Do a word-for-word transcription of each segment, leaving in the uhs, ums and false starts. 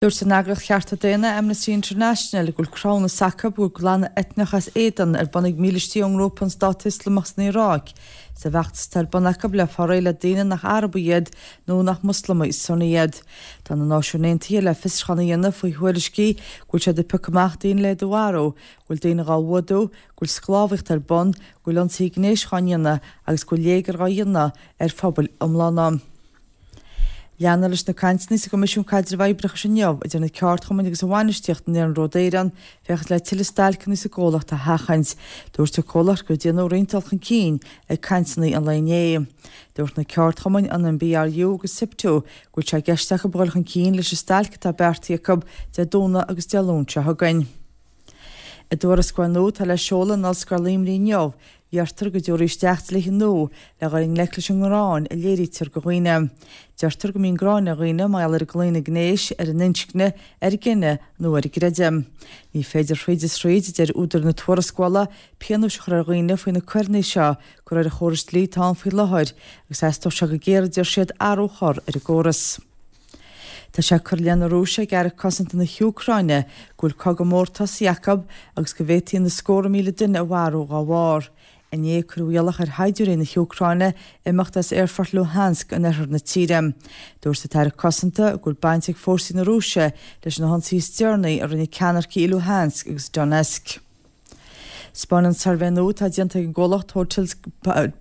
Dúirt an eagraíocht chearta daonna Amnesty International go bhfuil cruthúnas acu go bhfuil glanadh eitneach as éadan ar bun ag mílístí ón ngrúpa an Stát Ioslamach san Iaráic sa bhfeachtas atá ar bun acu le fáil réidh le daoine nach Arabaigh iad nó nach Moslamaigh Sunni iad. Tá na Náisiúin Aontaithe le fiosrúchán a dhéanamh faoi thuairiscí go bhfuil siad ag piocadh amach daoine le iad a mharú, go bhfuil daoine dhá bhfuadú, go bhfuil sclábhaíocht ar bun, go bhfuil ionsaithe gnéis dhá ndéanamh agus go bhfuil léigear dhá dhéanamh ar phobail iomlána. Leanfar leis na cainteanna sa gCoimisiún Caidrimh Oibreachais inniu idir na ceardchumainn agus an bhainistíocht in Iarnród Éireann féachaint le tuilleadh stailceanna sa gcomhlacht a sheachaint. Dúirt an comhlacht gur déanadh roinnt dul chun cinn ag cainteanna an lae inné. Dúirt na ceardchumainn an N B R U agus SIPTU go bhfuil sé i gceist acu dul chun cinn leis an stailc atá beartaithe acu Dé Domhnaigh agus Dé Luain seo chugainn. I dtuarascáil nua atá le seoladh in Ollscoil Luimnigh inniu, deirtear go dtabharfaí isteach dlíthe nua le dhul i ngleic leis an ngráin a léirítear do dhaoine. Deirtear go mbíonn gráin ar dhaoine mar gheall ar a gclaonadh gnéis, ar a n-inscne, ar a gcine nó ar a gcreideamh. Ní féidir thríd is thríd, deir údair na tuarascála, pionóis a chur ar dhaoine faoi na coireanna seo de réir an chórais dlí atá ann faoi láthair, agus theastódh sé go géar, a deir siad, athrú a chur ar an gcóras. Tá sé curtha i leith na Rúise ag Aire Cosanta na hÚcráine go bhfuil cogadh mór tosaithe acu agus go bhféadfaí na scórtha míle duine a mharú dá bharr. Inné cuireadh iallach ar shaighdiúirí na hÚcráine imeacht as aerfort Luhansk in oirthear na tíre. Dúirt an tAire Cosanta go bhfuil baint ag fórsaí na Rúise leis na hionsaithe is deireanaí a rinne ceannaircigh i Luhansk agus Donetsk. Spáineann suirbhé nua atá déanta ag an gcomhlacht Hotels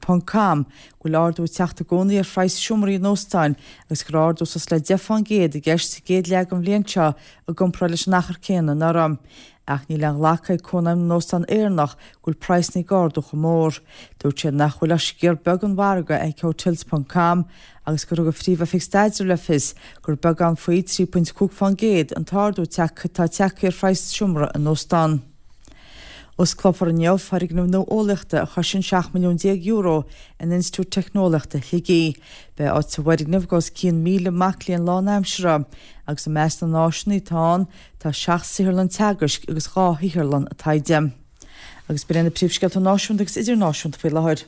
ponc com go bhfuil ardú ag teacht i gcónaí ar phraghas seomraí in óstáin agus gur ardú suas le deich faoin gcéad i gceist sa gcéad leath den bhliain seo i gcomparáid leis an achar céanna anuraidh. Ach níl aon ghlacadh ag Cónaidhm na nÓstán Éireannach go bhfuil praghsanna ag ardú chomh mór. Dúirt siad nach bhfuil ach sciar beag den mhargadh ag Hotels ponc com agus gur thug an phríomh-oifig staidrimh le fios gur beagán faoi trí phointe cúig faoin gcéad an t-ardú atá tagtha ar phraghas seomra in óstán. Osclófar inniu foirgneamh nua eolaíochta a chostaíonn seacht milliún déag euro in Institiúid Teicneolaíochta Shligigh. Beidh áit sa bhfoirgneamh do os cionn míle mac léinn lánaimseartha agus i measc na n-áiseanna atá ann tá seacht saotharlann teagaisc agus dhá shaotharlann taighde. Agus b'in na príomhscéalta náisiúnta agus idirnáisiúnta faoi láthair.